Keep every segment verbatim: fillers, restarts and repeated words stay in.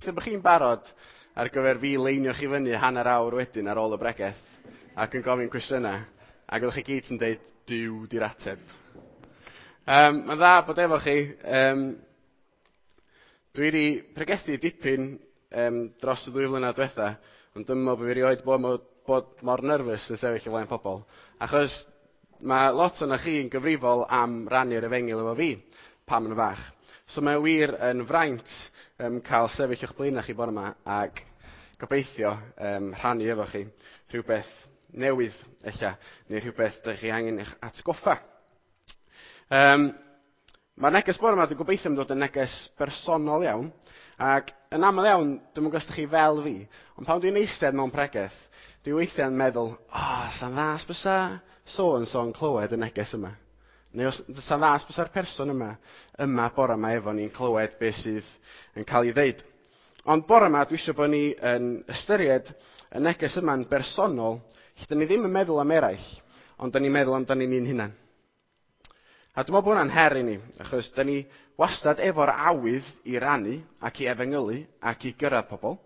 Gobeithio bod chi'n barod ar gyfer fi leinio chi fyny hanner awr wedyn ar ôl y bregeth ac yn gofyn cwestiynau, ac ydych chi gyd yn dweud, Duw di'r ateb. Um, mae'n dda bod efo chi. Um, dwi wedi pregethu dipyn um, dros y ddwy flynedd diwetha, ond dwi'n meddwl bod fi erioed bod, bod, bod mor nerfus yn sefyll o flaen pobl. Achos mae lot o'na chi yn gyfrifol am rannu'r efengyl efo fi pan maen nhw fach. So mae wir yn fraint um, cael sefyll o'ch blaenau chi bore yma ac gobeithio um, rhannu efo chi rhywbeth newydd ella, neu rhywbeth dych chi angen eich atgoffa. Um, Mae'r neges bore yma, dwi'n gobeithio yn dod yn neges bersonol iawn, ac yn aml iawn, dwi'm yn gwybod os ydych chi fel fi, ond pan dwi'n eistedd mewn pregeth, dwi weithiau'n meddwl, o, oh, sa'n dda os bysa so and so'n clywed y neges yma. Neu os sa'n dda os bysa'r person yma, yma bore yma efo ni'n clywed beth sydd yn cael ei ddeud. Ond bore yma, dwi eisiau bod ni yn ystyried y neges yma'n bersonol, lle dyn ni ddim yn meddwl am eraill, ond dyn ni'n meddwl amdano ni'n hunan. A dwi'n meddwl bod hwnna'n her i ni, achos dyn ni wastad efo'r awydd i rannu ac i efengylu ac i gyrraedd pobl.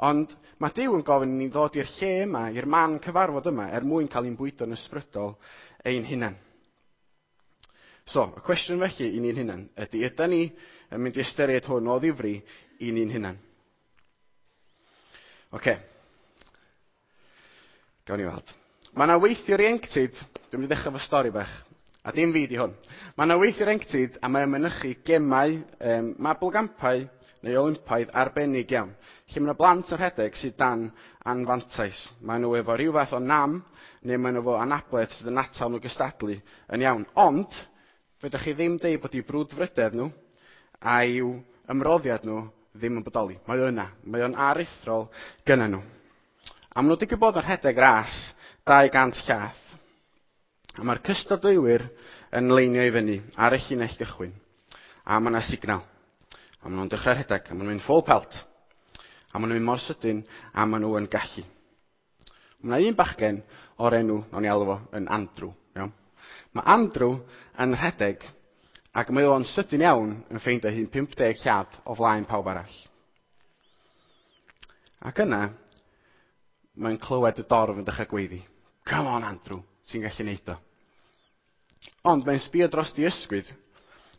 Ond mae Duw yn gofyn i ni ddod i'r lle yma, i'r man cyfarfod yma, er mwyn cael ein bwydo'n ysbrydol ein hunan. So, y cwestiwn felly i ni'n hunan ydy, ydy ni yn mynd i ystyried hwn o ddifri i ni'n hunan? Oce. Gawn ni weld. Mae yna weithiwr ieuenctid, dwi'n mynd i ddechrau fo stori bach, a dim fi di hwn. Mae yna weithiwr ieuenctid a mae'n mynychu gemau, um, mabolgampau neu Olympaidd arbennig iawn, lle mae yna blant yn rhedeg sydd dan anfantais. Maen nhw efo rhyw fath o nam, neu maen nhw efo anabledd sydd yn atal nhw gystadlu yn iawn. Ond, fedrwch chi ddim deud bod eu brwdfrydedd nhw a'u ymroddiad nhw ddim yn bodoli. Mae o yna. Mae o'n aruthrol gynna nhw. A maen nhw wedi bod yn rhedeg ras dau gant llath. A mae'r cystadleuwyr yn leinio i fyny ar y llinell gychwyn. A mae yna signal. A maen nhw'n dechrau rhedeg. A maen nhw'n mynd full pelt. A maen nhw'n mynd mor sydyn a maen nhw yn gallu. Mae yna un bachgen o'r enw, nawn ni alw fo, yn Andrew. Iawn? Mae Andrew yn rhedeg ac mae o'n sydyn iawn yn ffeindio hun pump deg llath o flaen pawb arall. Ac yna, mae'n clywed y dorf yn dechrau gweiddi. Come on, Andrew, ti'n gallu neud o. Ond mae'n sbio dros di ysgwydd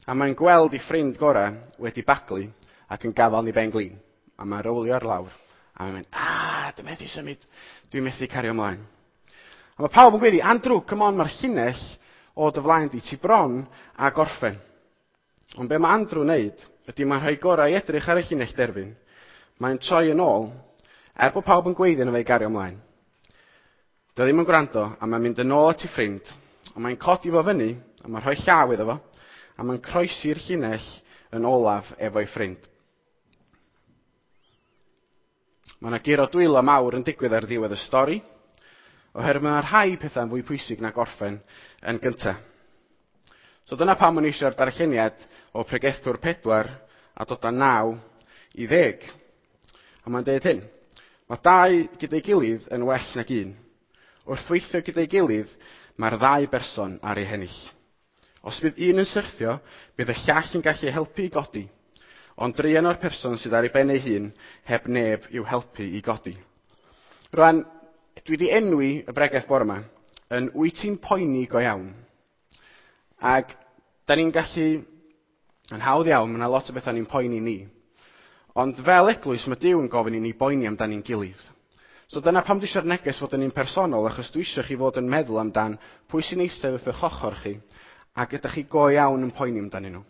a mae'n gweld ei ffrind gorau wedi baglu ac yn gafael ni ben glin. A mae'n rowlio ar lawr a mae'n mynd, ah, dwi'n methu symud, dwi'n methu cario ymlaen. A mae pawb yn gweiddi, Andrew, come on, mae'r llinell o dy flaen di, ti bron a gorffen. Ond be mae Andrew wneud ydy mae'n rhoi gorau i edrych ar y llinell derfyn. Mae'n troi yn ôl, er bod pawb yn gweiddi yna fe i gario ymlaen. Dio ddim yn gwrando, a mae'n mynd yn ôl at ei ffrind, a mae'n codi fo fyny, a mae'n rhoi llaw iddo fo, a mae'n croesi'r llinell yn olaf efo'i ffrind. Mae yna guro dwylo mawr yn digwydd ar ddiwedd y stori, oherwydd mae yna rhai pethau'n fwy pwysig na gorffen yn gyntaf. So dyna pam o'n i eisiau'r darlleniad o Pregethwr pedwar a dod â naw i ddeg. A mae'n deud hyn. Mae dau gyda'i gilydd yn well nag un. Wrth weithio gyda'i gilydd, mae'r ddau berson ar ei hennill. Os bydd un yn syrthio, bydd y llall yn gallu helpu i godi. Ond druan o'r person sydd ar ei ben ei hun, heb neb i'w helpu i godi. Rwan, dwi wedi enwi y bregeth bore yma yn wyt ti'n poeni go iawn. Ac da ni'n gallu, yn hawdd iawn, mae yna lot o bethau ni'n poeni ni. Ond fel eglwys, mae Duw yn gofyn i ni boeni amdani'n gilydd. So dyna pam dwi eisiau'r neges fod yn un personol, achos dwi eisiau chi fod yn meddwl amdan pwy sy'n eistedd wrth eich ochr chi, ac ydych chi go iawn yn poeni amdanyn nhw.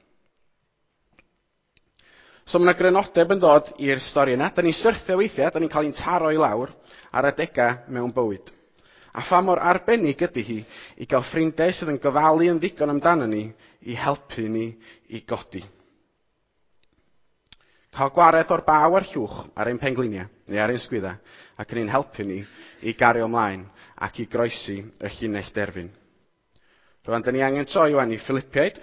So mae yna grynodeb yn dod i'r stori yna. Da ni'n syrthio weithiau, da ni'n cael ein taro i lawr ar adegau mewn bywyd. A pha mor arbennig ydy hi i gael ffrindiau sydd yn gofalu yn ddigon amdano ni i helpu ni i godi. Cael gwared o'r baw a'r llwch ar ein pengliniau neu ar ein sgwydda ac yn ein helpu ni i gario ymlaen ac i groesi y llinell derfyn. Rwan, da ni angen troi wan i Philippiaid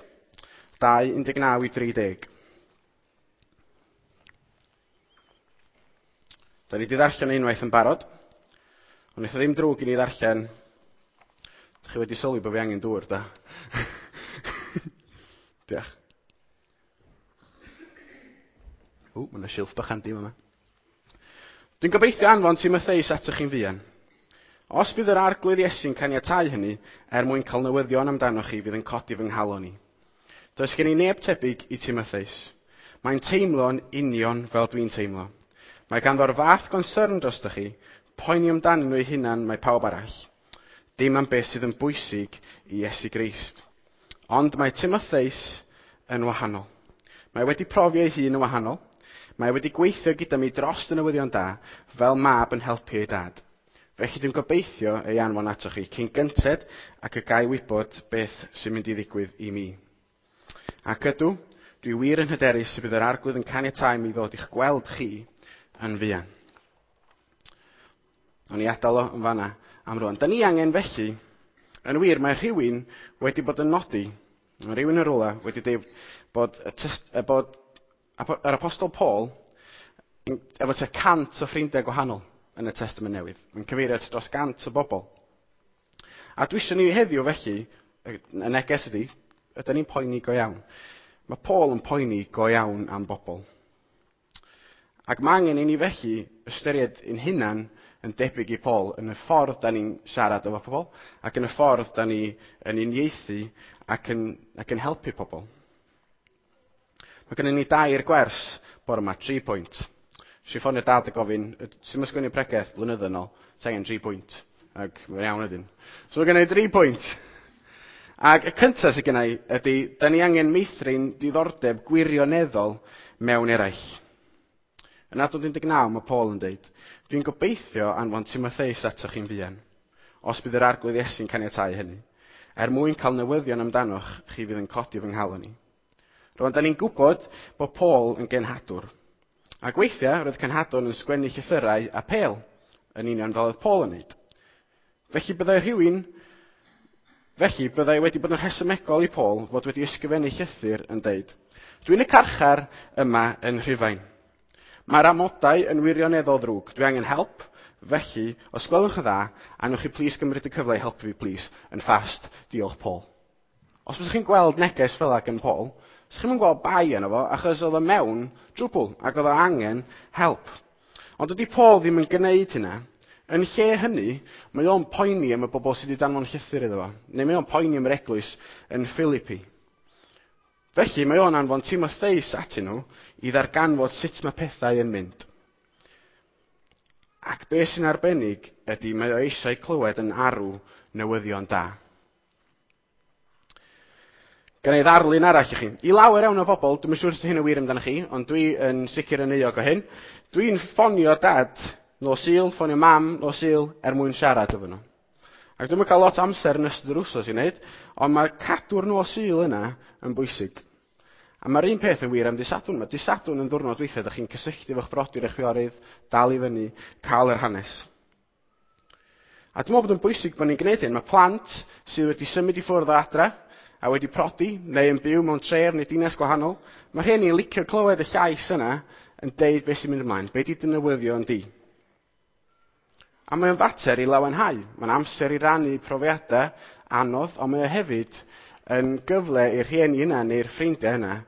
dau un deg naw i dri deg. Da ni wedi ddarllen unwaith yn barod, ond wnaeth o ddim drwg i ni ddarllen. Dach chi wedi sylwi bod fi angen dŵr, da? Diolch. O, mae yna silff bach handi yma. Dwi'n gobeithio anfon Timotheus atoch chi'n fuan. Os bydd yr Arglwydd Iesu'n caniatáu hynny, er mwyn cael newyddion amdanoch chi fydd yn codi fy nghalon i. Does gen i neb tebyg i Timotheus. Mae'n teimlo'n union fel dwi'n teimlo. Mae ganddo'r fath gonsyrn drostoch chi, poeni amdanyn nhw eu hunan mae pawb arall. Dim am beth sydd yn bwysig i Iesu Grist. Ond mae Timotheus yn wahanol. Mae wedi profi ei hun yn wahanol. Mae wedi gweithio gyda mi dros y newyddion da, fel mab yn helpu ei dad. Felly dwi'n gobeithio ei anfon atoch chi cyn gynted ac y gai wybod beth sy'n mynd i ddigwydd i mi. Ac ydw, dwi wir yn hyderus y bydd yr Arglwydd yn caniatáu mi ddod i'ch gweld chi yn fuan. O'n i adael o yn fanna am rwan. Da ni angen felly, yn wir, mae rhywun wedi bod yn nodi, mae rhywun yn rwla wedi dweud bod, y tyst, bod yr Apostol Paul efo tua cant o ffrindiau gwahanol yn y Testament Newydd. Mae'n cyfeirio at dros gant o bobl. A dwi eisiau ni heddiw felly, y neges ydy, ydyn ni'n poeni go iawn. Mae Paul yn poeni go iawn am bobl. Ac mae angen i ni felly ystyried ein hunan yn debyg i Paul yn y ffordd da ni'n siarad efo pobl ac yn y ffordd da ni yn uniaethu ac yn, ac yn helpu pobl. Mae gennym ni dair gwers bore yma, tri pwynt. Nes i ffonio dad a gofyn, sut mae sgwennu pregeth blynyddoedd yn ôl, ti angen tri pwynt. Ac mae'n iawn ydyn. So mae gennym ni dri pwynt. Ac y cyntaf sydd gennau ydy, da ni angen meithrin diddordeb gwirioneddol mewn eraill. Yn adnod un deg naw mae Paul yn dweud, dwi'n gobeithio anfon Timotheus atoch chi'n fuan, os bydd yr Arglwydd Iesu'n caniatáu hynny, er mwyn cael newyddion amdanoch chi fydd yn codi fy nghalon i. Rwan, da ni'n gwybod bod Paul yn genhadwr. Ac weithiau, roedd cenhadon yn sgwennu llythyrau a pêl, yn union fel oedd Paul yn wneud. Felly byddai rhywun, felly byddai wedi bod yn rhesymegol i Paul fod wedi ysgrifennu llythyr yn deud, dwi'n y carchar yma yn Rhufain. Mae'r amodau yn wirioneddol ddrwg. Dwi angen help, felly, os gwelwch yn dda, a newch chi plis gymryd y cyfle i helpu fi, plis, yn fast, diolch Paul. Os byddwch chi'n gweld neges fel ag yn Paul, os chi'n gweld bai yno fo, achos oedd o mewn trwbl, ac oedd o angen help. Ond dydy Paul ddim yn gwneud hynna. Yn lle hynny, mae o'n poeni am y bobl sydd wedi danfon llythyr iddo fo, neu mae o'n poeni am yr eglwys yn Philippi. Felly mae o'n anfon Timotheus atyn nhw i ddarganfod sut mae pethau yn mynd. Ac beth sy'n arbennig ydy mae o eisiau clywed yn arw newyddion da. Gan ei ddarlun arall i chi. I lawer iawn o bobl, dwi'm yn siŵr os hyn yn wir amdano chi, ond dwi yn sicr yn euog o hyn. Dwi'n ffonio dad nos Sul, ffonio mam nos Sul er mwyn siarad efo nhw. Ac dwi'm yn cael lot o amser yn ystod yr wsos i wneud, ond mae cadw'r nos Sul yna yn bwysig. A mae'r un peth yn wir am Dydd Sadwrn. Mae Dydd Sadwrn yn ddwrnod weithiau, ydych chi'n cysylltu efo'ch brodyr eich chwiorydd, dal i fyny, cael yr hanes. A dwi'n meddwl bod yn bwysig bod ni'n gwneud hyn. Mae plant sydd wedi symud i ffwrdd o adra, a wedi prodi, neu yn byw mewn tref neu dinas gwahanol, mae rhieni'n licio clywed y llais yna yn deud beth sy'n mynd ymlaen, be di dy newyddion di. A mae'n fater i lawenhau. Mae'n amser i rannu profiadau anodd, ond mae o hefyd yn gyfle i'r rhieni yna neu'r ffrindiau yna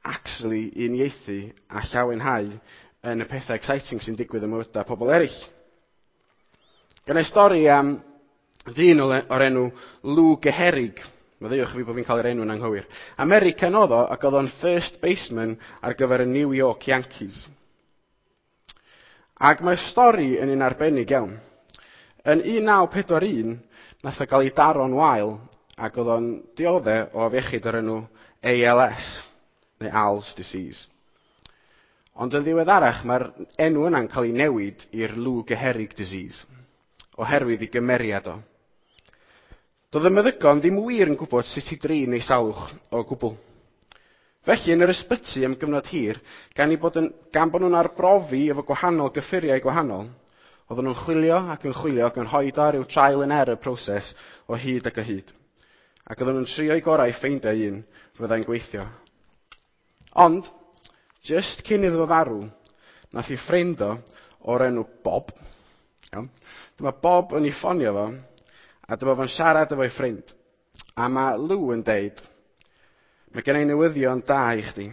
actually uniaethu a llawenhau yn y pethau exciting sy'n digwydd ym mywydau pobl eraill. Gen i stori am ddyn o'r enw Lou Gehrig. Maddeuwch fi bod fi'n cael yr enw'n anghywir. American oedd o, ac oedd o'n first baseman ar gyfer y New York Yankees. Ac mae'r stori yn un arbennig iawn. Yn un naw pedwar un, nath o gael ei daro'n wael, ac oedd o'n diodde o afiechyd o'r enw A L S, neu A L S disease. Ond yn ddiweddarach, mae'r enw yna'n cael ei newid i'r Lou Gehrig disease, oherwydd ei gymeriad o. Doedd y meddygon ddim wir yn gwybod sut i drin ei salwch o gwbl. Felly, yn yr ysbyty am gyfnod hir, gan, i bod yn, gan bod nhw'n arbrofi efo gwahanol gyffuriau gwahanol, oedden nhw'n chwilio ac yn chwilio ac yn rhoi o ryw trial and error proses o hyd ac o hyd. Ac oedden nhw'n trio eu gorau i ffeindio un fyddai'n gweithio. Ond, just cyn iddo fo farw, nath ei ffrind o o'r enw Bob. Iawn. Dyma Bob yn ei ffonio fo, a dyma fo'n siarad efo'i ffrind. A mae Lou yn deud, mae gen i newyddion da i chdi.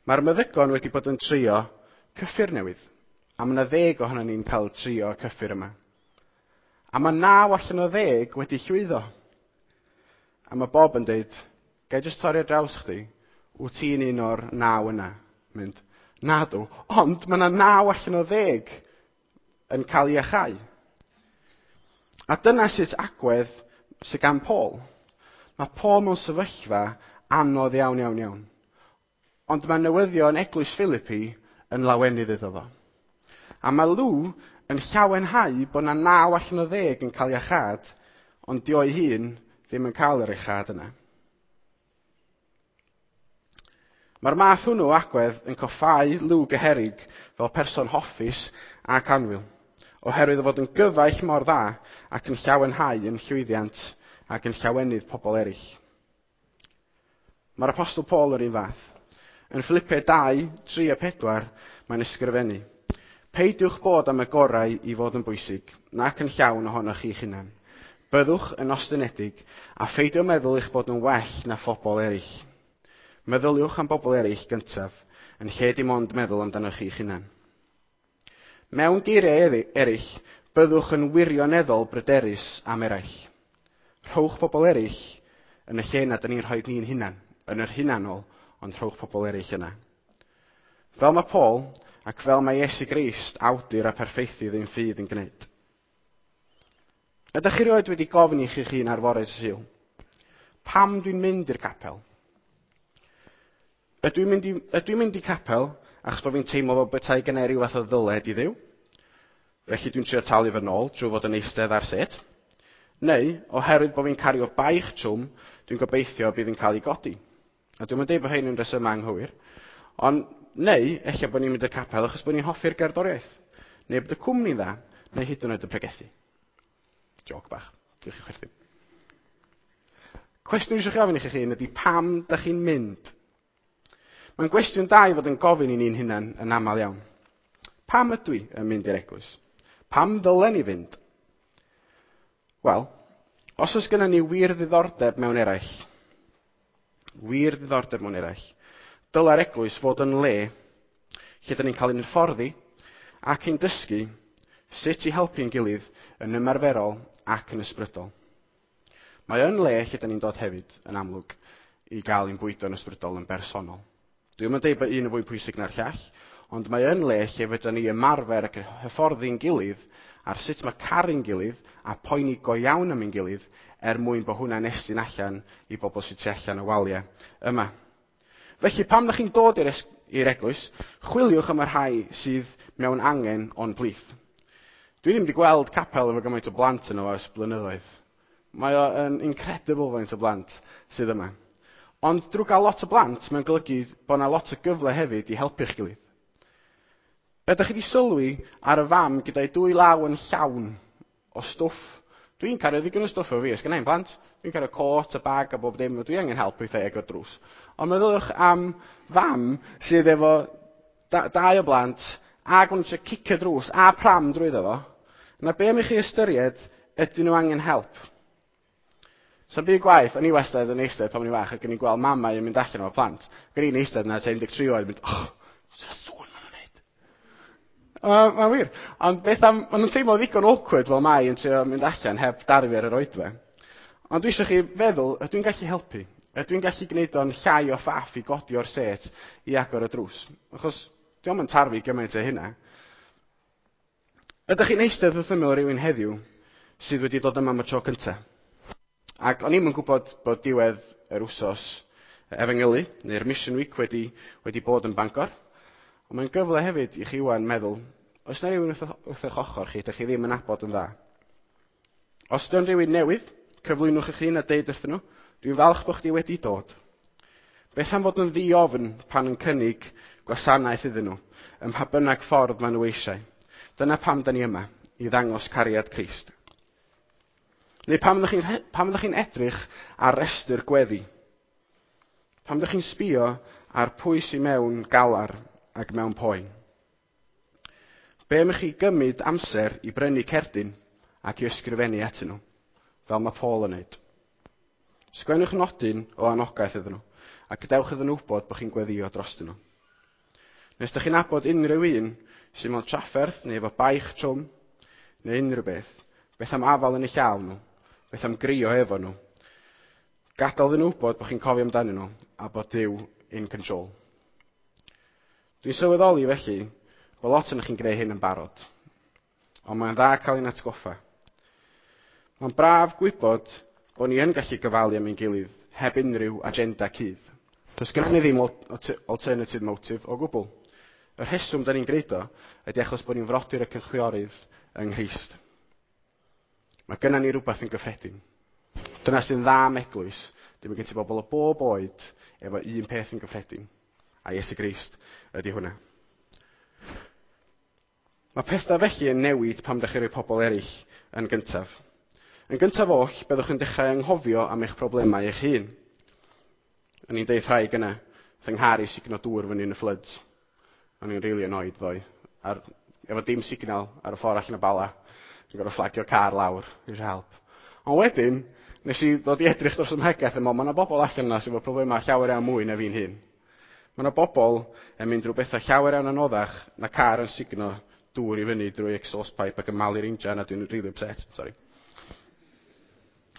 Mae'r meddygon wedi bod yn trio cyffur newydd, A mae yna ddeg ohono ni'n cael trio y cyffur yma. A mae naw allan o ddeg wedi llwyddo. A mae Bob yn deud, gai jyst torri ar draws chdi, wyt ti'n un o'r naw yna? Mynd, nadw, ond mae yna naw allan o ddeg yn cael ei iachau. A dyna sut agwedd sydd gan Paul. Mae Paul mewn sefyllfa anodd iawn, iawn, iawn. Ond mae newyddion Eglwys Philippi yn lawenydd iddo fo. A mae Lw yn llawenhau bod yna naw allan o ddeg yn cael iachâd, ond di o'i hun ddim yn cael yr iachâd yna. Mae'r math hwnnw o agwedd yn coffáu Lw Gyherig fel person hoffus ac annwyl, oherwydd o fod yn gyfaill mor dda ac yn llawenhau yn llwyddiant ac yn llawenydd pobl eraill. Mae'r Apostol Paul yr un fath. Yn Philippiaid dau, tri a pedwar, mae'n ysgrifennu. Peidiwch bod am y gorau i fod yn bwysig, nac yn llawn ohonoch chi'ch hunan. Byddwch yn ostynedig a pheidio meddwl eich bod yn well na phobl eraill. Meddyliwch am bobl eraill gyntaf, yn lle dim ond meddwl amdanoch chi'ch hunan. Mewn geiriau eraill, byddwch yn wirioneddol bryderus am eraill. Rhowch bobl eraill yn y lle na dyn ni'n rhoi ni'n hunan, yn yr hunanol, ond rhowch pobl eraill yna. Fel mae Paul, ac fel mae Iesu Grist, awdur a perffeithydd ein ffydd yn gwneud. Ydych chi rioed wedi gofyn i chi'ch hun ar fore Sul? Pam dwi'n mynd i'r capel? Ydw i'n mynd i, ydw i'n mynd i capel achos bod fi'n teimlo fel petai gennai ryw fath o ddyled i Dduw? Felly dwi'n trio talu fy nôl trwy fod yn eistedd ar set. Neu, oherwydd bod fi'n cario baich trwm, dwi'n gobeithio bydd yn cael ei godi. A dwi'm yn deud bod hyn yn resymau anghywir. Ond, neu, ella bod ni'n mynd i'r capel achos bod ni'n hoffi'r gerddoriaeth. Neu bod y cwmni'n dda, neu hyd yn oed y pregethu. Joc bach. Diolch i chwerthin. Cwestiwn eisiau chi ofyn i chi hun ydy pam da chi'n mynd? Mae'n gwestiwn da i fod yn gofyn i ni'n hunan yn aml iawn. Pam ydw i yn mynd i'r eglwys? Pam ddylen ni fynd? Wel, os oes gennym ni wir ddiddordeb mewn eraill, wir ddiddordeb mewn eraill, dylai'r eglwys fod yn le lle dyn ni'n cael ein hyfforddi ac ein dysgu sut i helpu'n gilydd yn ymarferol ac yn ysbrydol. Mae yn le lle dyn ni'n dod hefyd, yn amlwg, i gael ein bwydo'n ysbrydol yn bersonol. Dwi'm yn deud bod un yn fwy pwysig na'r llall, ond mae yn le lle fedrwn ni ymarfer ac hyfforddi'n gilydd ar sut mae caru'n gilydd a poeni go iawn am ein gilydd er mwyn bod hwnna'n estyn allan i bobl sydd tu allan y waliau yma. Felly, pam ydych chi'n dod i'r eglwys, chwiliwch am y rhai sydd mewn angen o'n plith. Dwi ddim wedi gweld capel efo gymaint o blant yno ers blynyddoedd. Mae o'n incredible faint o blant sydd yma. Ond drwy gael lot o blant, mae'n golygu bod yna lot o gyfle hefyd i helpu'ch gilydd. Be ydych chi wedi sylwi ar y fam gyda'i dwy law yn llawn o stwff? Dwi'n cario ddigon o stwff efo fi, os gennai'm plant. Dwi'n cario cot a bag a bob dim, dwi angen help weithiau agor drws. Ond meddyliwch am fam sydd efo da, dau o blant ac maen nhw'n trio cicio drws a pram drwyddo fo. Na be am i chi ystyried, ydyn nhw angen help? So'n byd gwaith, o'n i wastad yn eistedd pan o'n i'n fach ac o'n i'n gweld mamau yn mynd allan efo plant. Ac o'n i'n eistedd yna tua un deg tri oed yn mynd, oh, sy'n sŵn maen nhw'n neud. Mae'n wir. Ond beth am, maen nhw'n teimlo ddigon awkward fel mai yn trio mynd allan heb darfu ar yr oedfa. Ond dwi eisiau chi feddwl, ydw i'n gallu helpu? Ydw i'n gallu gwneud o'n llai o ffaff i godi o'r set i agor y drws? Achos dio'm yn tarfu gymaint o hynna. Ydych chi'n eistedd wrth ymyl rhywun heddiw sydd wedi dod yma am y tro cyntaf? Ac o'n i'm yn gwybod bod diwedd yr wsos efengylu, neu'r Mission Week wedi, wedi bod yn Bangor. Ond mae'n gyfle hefyd i chi wan meddwl, oes yna rhywun wrth, wrth eich ochr chi, ydych chi ddim yn nabod yn dda? Os ydy'n rhywun newydd, cyflwynwch eich hun a deud wrthyn nhw, dwi'n falch bod chdi wedi dod. Beth am fod yn ddi-ofn pan yn cynnig gwasanaeth iddyn nhw, ym mha bynnag ffordd maen nhw eisiau. Dyna pam da ni yma, i ddangos cariad Crist. Neu pam ydych chi'n pam ydych chi'n edrych ar restr gweddi? Pam ydych chi'n sbio ar pwy sy'n mewn galar ac mewn poen? Be am i chi gymryd amser i brynu cerdyn ac i ysgrifennu atyn nhw, fel mae Paul yn neud? Sgwennwch nodyn o anogaeth iddyn nhw, a gadewch iddyn nhw wybod bod chi'n gweddio drostyn nhw. Nes ydych chi'n nabod unrhyw un sydd mewn trafferth neu efo baich trwm, neu unrhyw beth, beth am afal yn eu llaw nhw, beth am grio efo nhw. Gadael iddyn nhw wybod bod chi'n cofio amdanyn nhw a bod Duw in control. Dwi'n sylweddoli felly bod lot ohonoch chi'n gwneud hyn yn barod, ond mae'n dda cael ein atgoffa. Mae'n braf gwybod bod ni yn gallu gofalu am ein gilydd heb unrhyw agenda cudd. Does gennym ni ddim alternative motive o gwbl. Y rheswm da ni'n gwneud o ydy achos bod ni'n frodyr ac yn chwiorydd yng Nghrist. Mae gennym ni rhywbeth yn gyffredin. Dyna sy'n dda am eglwys. Dim yn gen ti bobl o bob oed efo un peth yn gyffredin. A Iesu Grist ydy hwnna. Mae pethau felly yn newid pam ddechrau rhoi pobl eraill yn gyntaf. Yn gyntaf oll, byddwch yn dechrau anghofio am eich problemau eich hun. O'n i'n deud rhai gyna, fy nghar i sugno dŵr fyny yn y floods. O'n i'n really annoyed ddoe. Ar, efo dim signal ar y ffordd allan o Bala. Dwi'n gorfod fflagio car lawr, eisiau help. Ond wedyn, nes i ddod i edrych dros y mhegeth yma, mae yna bobl allan yna sydd efo problemau llawer iawn mwy na fi'n hun. Mae yna bobl yn mynd drwy bethau llawer iawn anoddach na car yn sugno dŵr i fyny drwy exhaust pipe ac yn malu'r injan a dwi'n really upset, sorry.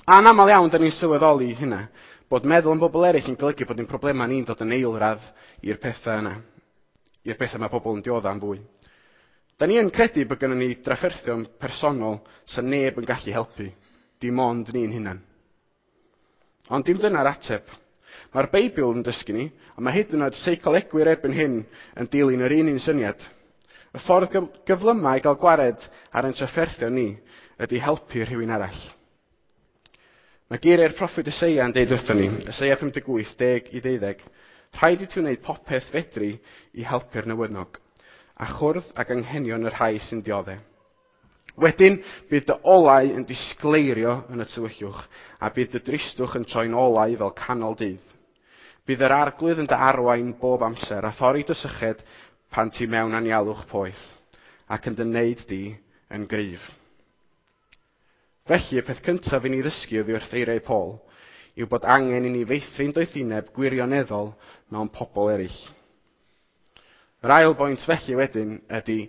A'n aml iawn, da ni'n sylweddoli hynna, bod meddwl am bobl eraill yn golygu bod ein problemau ni'n dod yn eilradd i'r pethau yna, i'r pethau mae pobl yn diodda yn fwy. Da ni yn credu bod gennym ni drafferthion personol sy'n neb yn gallu helpu, dim ond ni'n hunan. Ond dim dyna'r ateb. Mae'r Beibl yn dysgu ni, a mae hyd yn oed seicolegwyr erbyn hyn yn dilyn yr un un syniad. Y ffordd gyflymau i gael gwared ar ein trafferthion ni ydy helpu rhywun arall. Mae geiriau'r proffwyd Eseia yn deud wrthon ni, Eseia pum deg wyth, deg i ddeuddeg, rhaid i ti wneud popeth fedri i helpu'r newynog, a chwrdd ag anghenion y rhai sy'n dioddef. Wedyn, bydd dy olau yn disgleirio yn y tywyllwch, a bydd dy dristwch yn troi'n olau fel canol dydd. Bydd yr arglwydd yn dy arwain bob amser, a thorri dy syched pan ti mewn anialwch poeth, ac yn dy wneud di yn gryf. Felly, y peth cyntaf i ni ddysgu oddi wrth eiriau Paul yw bod angen i ni feithrin doethineb gwirioneddol mewn pobl eraill. Yr ail bwynt felly wedyn ydy,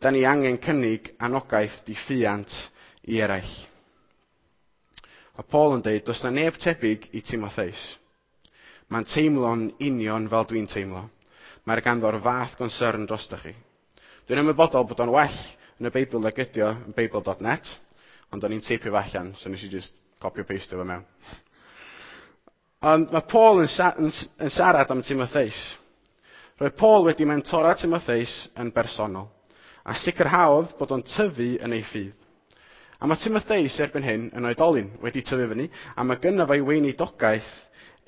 da ni angen cynnig anogaeth diffuant i eraill. A Paul yn dweud, does na neb tebyg i Timotheus. Mae'n teimlo'n union fel dwi'n teimlo. Mae'r ganddo'r fath concern drostoch chi. Dwi'n ymwybodol bod o'n well yn y Beibl nag ydi o yn Beibl dot net, ond o'n i'n teipio fo allan, so nes i just copy o paste fo mewn. Ond mae Paul yn, sa yn, yn siarad am Timotheus. Roedd Paul wedi mentora Timotheus yn bersonol, a sicrhaodd bod o'n tyfu yn ei ffydd. A mae Timotheus erbyn hyn yn oedolyn, wedi tyfu fyny, a mae gynno fo'i weinidogaeth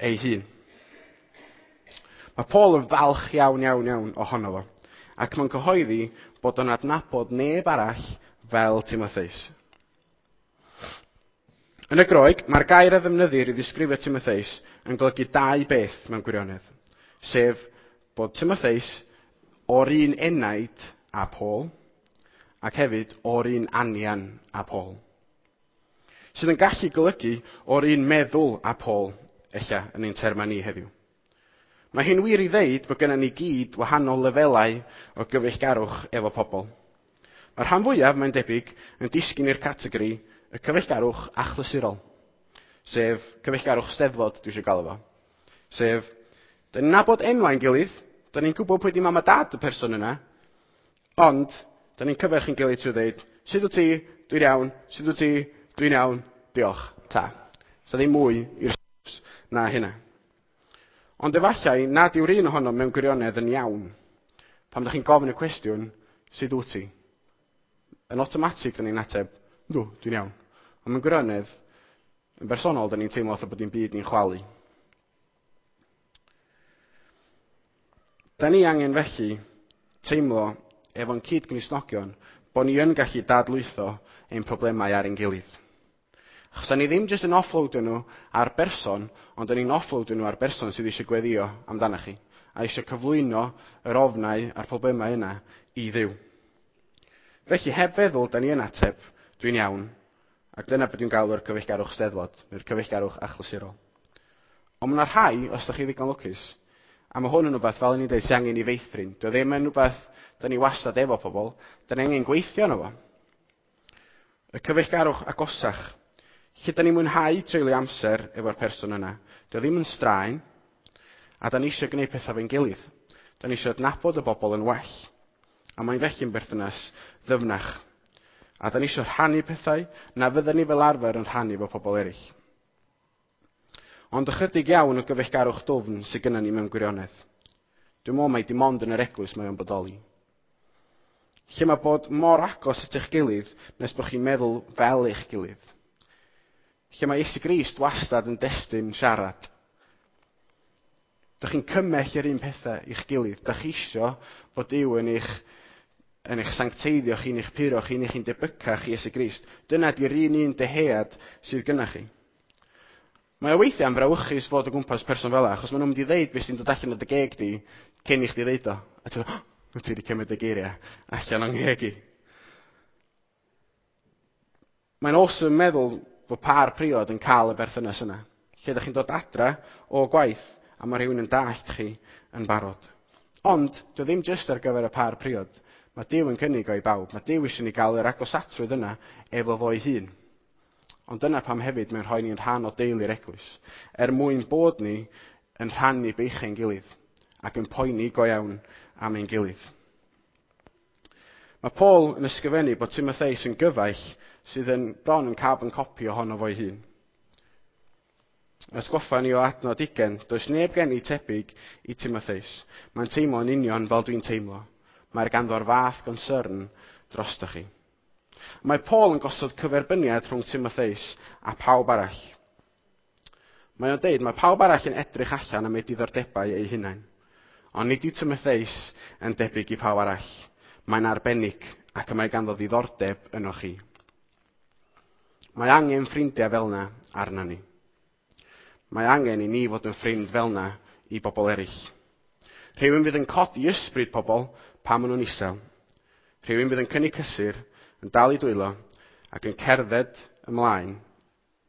ei hun. Mae Paul yn falch iawn, iawn, iawn ohono fo, ac mae'n cyhoeddi bod o'n adnabod neb arall fel Timotheus. Yn y Groeg, mae'r gair a ddefnyddir i ddisgrifio Timotheus yn golygu dau beth mewn gwirionedd, sef bod Timotheus o'r un enaid a Paul, ac hefyd o'r un anian a Paul. Sydd yn gallu golygu o'r un meddwl a Paul, ella, yn ein termau ni heddiw. Mae hyn wir i ddeud bod gennym ni gyd wahanol lefelau o gyfeillgarwch efo pobl. Mae'r rhan fwyaf, mae'n debyg, yn disgyn i'r categori y cyfeillgarwch achlysurol, sef cyfeillgarwch steddfod, dwi eisiau galw fo. Sef, da ni'n nabod enwau'n gilydd, da ni'n gwybod pwy di mam a dad y person yna, ond da ni'n cyferch yn gilydd trwy ddeud, sut wyt ti, dwi'n iawn, sut wyt ti, dwi'n iawn, diolch, ta. So ddim mwy i'r na hynna. Ond efallai nad yw'r un ohonom mewn gwirionedd yn iawn. Pan ydych chi'n gofyn y cwestiwn, sut wyt ti? Yn awtomatig, da ni'n ateb, dw, dwi'n iawn. Ond mewn gwirionedd, yn bersonol, da ni'n teimlo fatha bod dim byd ni'n chwalu. Da ni angen felly teimlo efo'n cyd-Gristnogion bod ni yn gallu dadlwytho ein problemau ar ein gilydd. Achos da ni ddim jyst yn offloadio nhw ar berson, ond da ni'n offloadio nhw ar berson sydd eisiau gweddio amdanoch chi, a eisiau cyflwyno yr ofnau a'r problemau yna i Dduw. Felly, heb feddwl, da ni yn ateb, dwi'n iawn, ac dyna beth dwi'n galw'r cyfeillgarwch steddfod, neu'r cyfeillgarwch achlysurol. Ond mae yna rhai, os da chi ddigon lwcus, a mae hwn yn rhywbeth, fel o'n i'n dweud, sy'n angen i feithrin. Dio ddim yn rhywbeth Da ni wastad efo pobl. Da ni angen gweithio arno fo. Y cyfeillgarwch agosach. Lle da ni'n mwynhau treulio amser efo'r person yna. Dio ddim yn straen. A da ni eisiau gwneud pethau fe'n gilydd. Da ni eisiau adnabod y bobl yn well. A mae'n felly'n berthynas ddyfnach. A da ni eisiau rhannu pethau na fydden ni fel arfer yn rhannu efo pobl eraill. Ond ychydig iawn o gyfeillgarwch dwfn sydd gynnon ni mewn gwirionedd. Dwi'n meddwl mai dim ond yn yr eglwys mae o'n bodoli. Lle mae bod mor agos at eich gilydd nes bod chi'n meddwl fel eich gilydd. Lle mae Iesu Grist wastad yn destun siarad. Dych chi'n cymell yr un pethau i'ch gilydd. Dych chi isio bod Duw yn eich, yn eich sancteiddio chi, yn eich puro chi, yn eich debycach i Iesu Grist. Dyna di'r un un dyhead sydd gynna chi. Mae o weithiau yn frawychus fod o gwmpas person fel 'na, achos maen nhw'n mynd i ddeud beth sy'n dod allan o dy geg di cyn i chdi ddeud o. A ti'n dweud, oh, ti wedi cymryd y geiriau allan o'n ngheg i. Mae'n awesome meddwl bod par priod yn cael y berthynas yna. Lle ydych chi'n dod adra o gwaith a mae rhywun yn dallt chi yn barod. Ond, dwi ddim jyst ar gyfer y par priod. Mae Duw yn cynnig o i bawb. Mae Duw eisiau ni gael yr agosatrwydd yna efo fo'i hun. Ond dyna pam hefyd mae'n rhoi ni'n rhan o deulu'r eglwys. Er mwyn bod ni yn rhannu beichau'n gilydd ac yn poeni go iawn am ein gilydd. Mae Paul yn ysgrifennu bod Timotheus yn gyfaill sydd yn bron yn carbon copy ohono fo'i hun. Atgoffa ni o adnod ugain, does neb gen i tebyg i Timotheus. Mae'n teimlo'n union fel dwi'n teimlo. Mae'r ganddo'r fath concern drostoch chi. Mae Paul yn gosod cyferbyniad rhwng Timotheus a pawb arall. Mae o'n deud, mae pawb arall yn edrych allan am eu diddordebau eu hunain. Ond nid yw Timotheus yn debyg i pawb arall. Mae'n arbennig ac y mae ganddo ddiddordeb yno chi. Mae angen ffrindiau fel yna arna ni. Mae angen i ni fod yn ffrind fel yna i bobl eraill. Rhywun fydd yn codi ysbryd pobl pan maen nhw'n isel. Rhywun fydd yn cynnig cysur, yn dal i dwylo ac yn cerdded ymlaen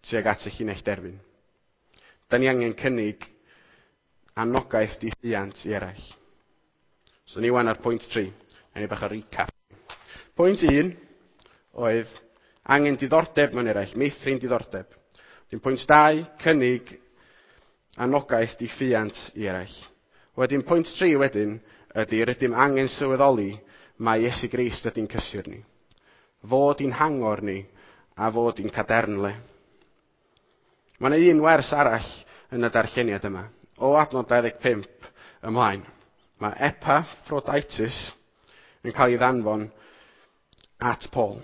tuag at y llinell derfyn. Da ni angen cynnig anogaeth diffuant i eraill. So ni wan ar pwynt tri. Ni bach o recap. Pwynt un oedd angen diddordeb mewn eraill, meithrin diddordeb. Wedyn pwynt dau, cynnig anogaeth diffuant i eraill. Wedyn pwynt tri wedyn ydy rydym angen sylweddoli mai Iesu Grist ydy'n cysur ni. Fod i'n hangor ni a fod i'n cadernle. Mae yna un wers arall yn y darlleniad yma. O adnod dau ddeg pump ymlaen. Mae Epaphroditus yn cael ei ddanfon at Paul.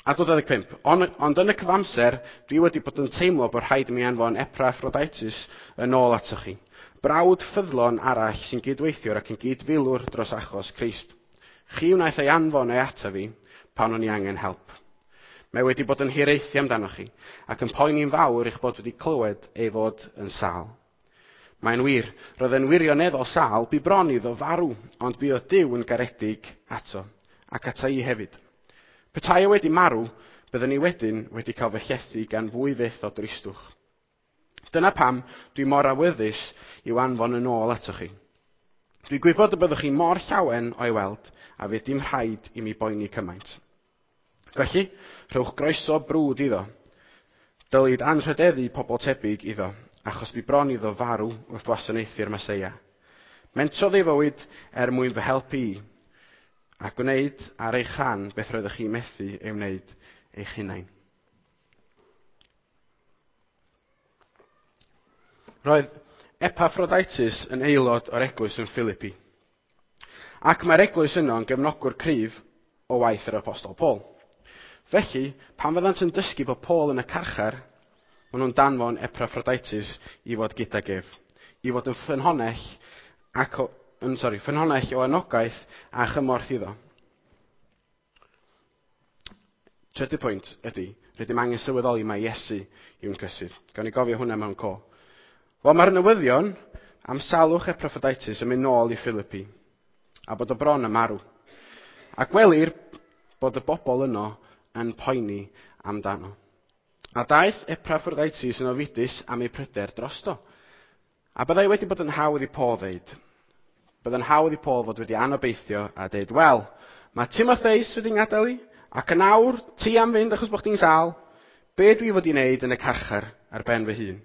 Adnod dau ddeg pump. Ond, ond yn y cyfamser, dwi wedi bod yn teimlo bod rhaid i mi anfon Epaphroditus yn ôl atoch chi. Brawd ffyddlon arall sy'n gydweithiwr ac yn gydfilwr dros achos Crist. Chi wnaeth ei anfon ei ata fi pan o'n i angen help. Mae wedi bod yn hiraethu amdanoch chi ac yn poeni'n fawr eich bod wedi clywed ei fod yn sâl. Mae'n wir, roedd e'n wirioneddol sâl, bu bron iddo farw, ond buodd Duw yn garedig ato, ac ata i hefyd. Petai o wedi marw, byddwn ni wedyn wedi cael fy llethu gan fwy fyth o dristwch. Dyna pam dwi mor awyddus i'w anfon yn ôl atoch chi. Dwi'n gwybod y byddwch chi mor llawen o'i weld, a fydd dim rhaid i mi boeni cymaint. Felly, rhowch groeso brwd iddo. Dylid anrhydeddu pobl tebyg iddo, achos bu bron iddo farw wrth wasanaethu'r Meseia. Mentrodd ei fywyd er mwyn fy helpu i, a gwneud ar eich rhan beth roeddech chi methu ei wneud eich hunain. Roedd Epaphroditus yn aelod o'r eglwys yn Philippi. Ac mae'r eglwys yno yn gefnogwr cryf o waith yr apostol Paul. Felly, pan fyddant yn dysgu bod Paul yn y carchar, maen nhw'n danfon Epaphroditus i fod gydag ef, i fod yn ffynhonnell, ac o, yn, sorry, ffynhonnell o anogaeth a chymorth iddo. Trydydd pwynt ydy, rydym angen sylweddoli mai Iesu yw'n cysur. Gawn ni gofio hwnna mewn co. Wel, mae'r newyddion am salwch Epaphroditus yn mynd nôl i Philippi, a bod o bron yn marw. A gwelir bod y bobl yno yn poeni amdano. A daeth Epaphroditus yn ofidus am ei pryder drosto. A byddai wedi bod yn hawdd i Paul ddeud, Byddai'n hawdd i Paul fod wedi anobeithio a dweud, wel, mae Timotheus wedi ngadael i, ac yn awr ti am fynd achos bod chdi'n sâl. Be dwi fod i wneud yn y carchar ar ben fy hun?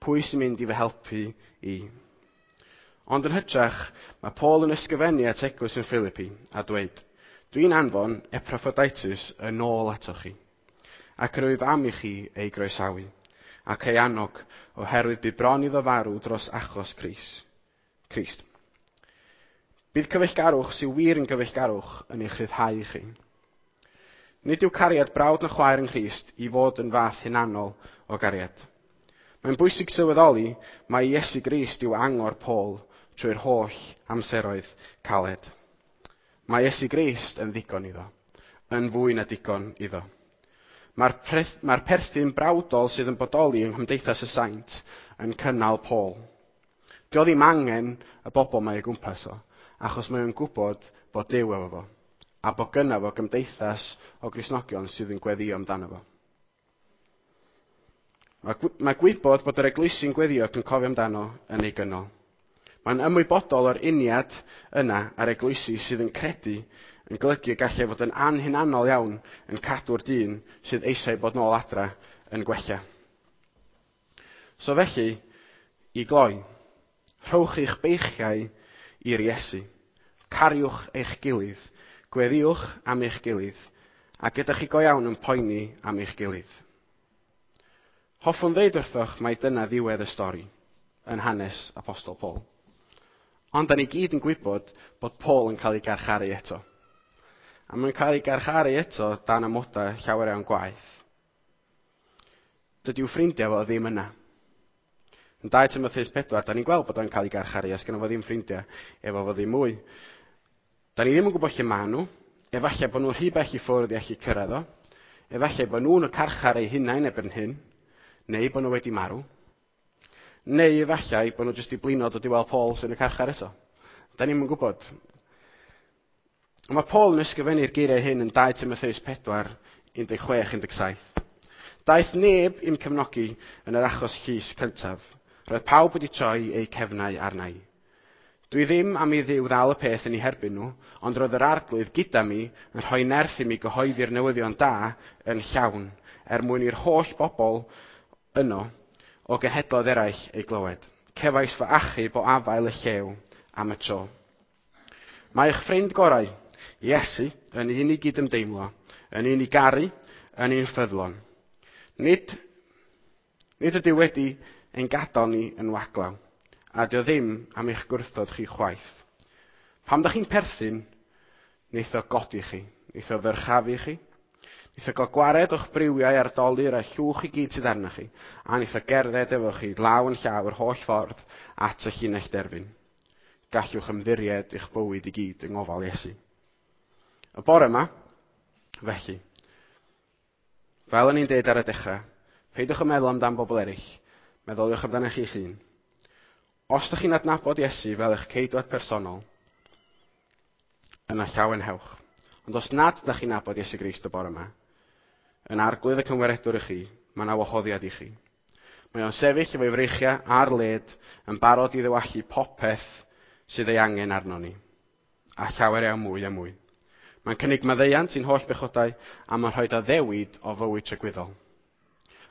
Pwy sy'n mynd i fy helpu i? Ond yn hytrach, mae Paul yn ysgrifennu at eglwys yn Philippi a dweud, dwi'n anfon Epaphroditus yn ôl atoch chi, ac rwyf am i chi ei groesawu, ac ei annog, oherwydd bu bron iddo farw dros achos Crist. Bydd cyfeillgarwch sy'n wir yn gyfeillgarwch yn eich rhyddhau chi. Nid yw cariad brawd na chwaer yng Nghrist i fod yn fath hunanol o gariad. Mae'n bwysig sylweddoli mai Iesu Grist yw angor Paul trwy'r holl amseroedd caled. Mae Iesu Grist yn ddigon iddo, yn fwy na digon iddo. Mae'r, mae'r perthyn brawdol sydd yn bodoli yng nghymdeithas y saint yn cynnal Paul. Dio ddim angen y bobl mae ei gwmpas o, achos mae o'n gwybod bod Duw efo fo, a bod gynna fo gymdeithas o Gristnogion sydd yn gweddio amdano fo. Mae, mae gwybod bod yr eglwysi'n gweddio ac yn cofio amdano yn ei gynnal. Mae'n ymwybodol o'r uniad yna a'r eglwysi sydd yn credu yn golygu y gallai fod yn anhunanol iawn yn cadw'r dyn sydd eisiau bod nôl adra yn gwella. So felly, i gloi, rhowch eich beichiau i'r Iesu. Cariwch eich gilydd, gweddiwch am eich gilydd, a gyda chi go iawn yn poeni am eich gilydd. Hoffwn ddeud wrthoch mai dyna ddiwedd y stori yn hanes Apostol Paul. Ond da ni gyd yn gwybod bod Paul yn cael ei garcharu eto. A mae'n cael ei garcharu eto dan amodau llawer iawn gwaeth. Dydy'w ffrindiau fo ddim yna. Yn dau Timotheus pedwar, da ni'n gweld bod o'n cael ei garcharu, os gynno fo ddim ffrindiau efo fo ddim mwy. Da ni ddim yn gwybod lle maen nhw. Efallai bod nhw'n rhy bell i ffwrdd i allu cyrraedd o. Efallai bod nhw'n y carchar eu hunain erbyn hyn, neu bod nhw wedi marw. Neu efallai bod nhw jyst i blino dod i weld Paul sy'n y carchar eto. Da ni'm yn gwybod. Ond mae Paul yn ysgrifennu'r geiriau hyn yn dau Timotheus pedwar, un deg chwech, un deg saith. Daeth neb i'm cefnogi yn yr achos llys cyntaf. Roedd pawb wedi troi eu cefnau arna i. Dwi ddim am i Dduw ddal y peth yn ei herbyn nhw, ond roedd yr arglwydd gyda mi yn rhoi nerth i mi gyhoeddi'r newyddion da yn llawn, er mwyn i'r holl bobl yno o genhedloedd eraill ei glywed. Cefais fy achub o afael y llew am y tro. Mae eich ffrind gorau, Iesu, yn un i gydymdeimlo, yn un i garu, yn un ffyddlon. Nid, nid ydy wedi ein gadael ni yn waglaw, a dio ddim am eich gwrthod chi chwaith. Pam da chi'n perthyn, wneith o godi chi, wneith o ddyrchafu chi, wneith o gael gwared o'ch briwiau a'r dolur a llwch i gyd sydd arnoch chi, a wneith o gerdded efo chi law yn llaw yr holl ffordd at y llinell derfyn. Gallwch ymddiried eich bywyd i gyd yng ngofal Iesu. Y bore yma, felly, fel o'n i'n deud ar y dechrau, peidiwch yn meddwl amdan bobl eraill, meddyliwch amdanoch chi'ch hun. Os ydych chi'n adnabod Iesu fel eich ceidwad personol, yna llawenhewch. Ond os nad ydych chi'n nabod Iesu Grist y bore yma, yn arglwydd y cymweredwr i chi, mae yna wahoddiad i chi. Mae o'n sefyll efo'i freichiau ar led yn barod i ddewallu popeth sydd ei angen arno ni, a llawer iawn mwy a mwy. Mae'n cynnig maddeuant i'n holl bechodau a mae'n rhoi addewid o fywyd tragwyddol.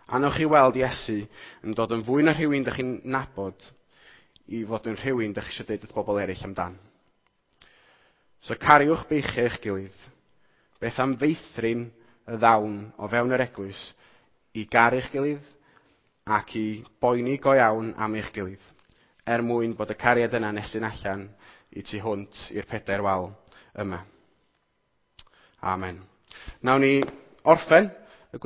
A newch chi weld Iesu yn dod yn fwy na rhywun dych chi'n nabod i fod yn rhywun dych chi eisiau dweud wrth bobl eraill amdan. So cariwch beichiau eich gilydd. Beth am feithrin y ddawn o fewn yr eglwys i garu'ch gilydd ac i boeni go iawn am eich gilydd, er mwyn bod y cariad yna'n estyn allan i tu hwnt i'r pedair wal yma. Amen. Nawn ni orffen